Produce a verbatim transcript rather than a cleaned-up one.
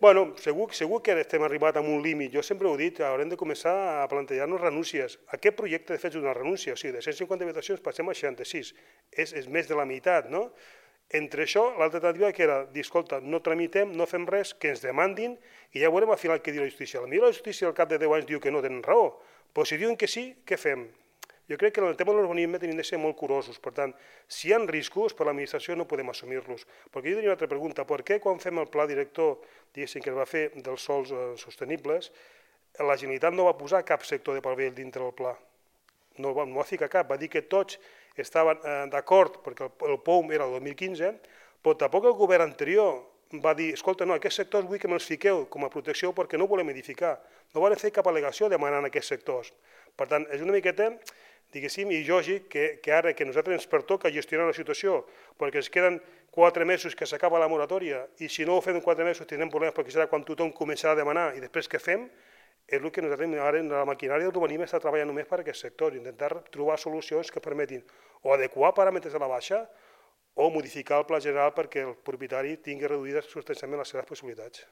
Bueno, segur, segur que estem arribat a un límit. Jo sempre ho he dit, haurem de començar a plantejar-nos renúncies. Aquest projecte, de fet, és una renúncia. O sigui, de cent cinquanta habitacions passem a seixanta-sis. És, és més de la meitat, no? Entre això, l'altra alternativa que era dir, escolta, no tramitem, no fem res, que ens demandin i ja veurem al final què diu la justícia. Potser la justícia al cap de deu anys diu que no tenen raó, però si diuen que sí, què fem? Jo crec que en el tema de l'urbanisme tenim de ser molt curosos. Per tant, si hi ha riscos per l'administració no podem assumir-los. Perquè jo tenia una altra pregunta. Per què quan fem el pla director, diguéssim, que es va fer dels sòls sostenibles, la Generalitat no va posar cap sector de pal·vell dintre del pla? No va, no va ficar cap. Va dir que tots estaven d'acord, perquè el P O U M era el dos mil quinze, però tampoc el govern anterior va dir, escolta, no, aquests sectors vull que me'ls fiqueu com a protecció perquè no volem edificar. No van fer cap al·legació demanant aquests sectors. Per tant, és una miqueta, diguéssim, i lògic que, que ara que a nosaltres ens pertoca gestionar la situació, perquè ens queden quatre mesos que s'acaba la moratòria i si no ho fem en quatre mesos tindrem problemes perquè serà quan tothom començarà a demanar i després què fem, és el que nosaltres ara en la maquinària d'urbanisme està treballant només per aquest sector, intentar trobar solucions que permetin o adequar paràmetres a la baixa o modificar el pla general perquè el propietari tingui reduïdes substancialment les seves possibilitats.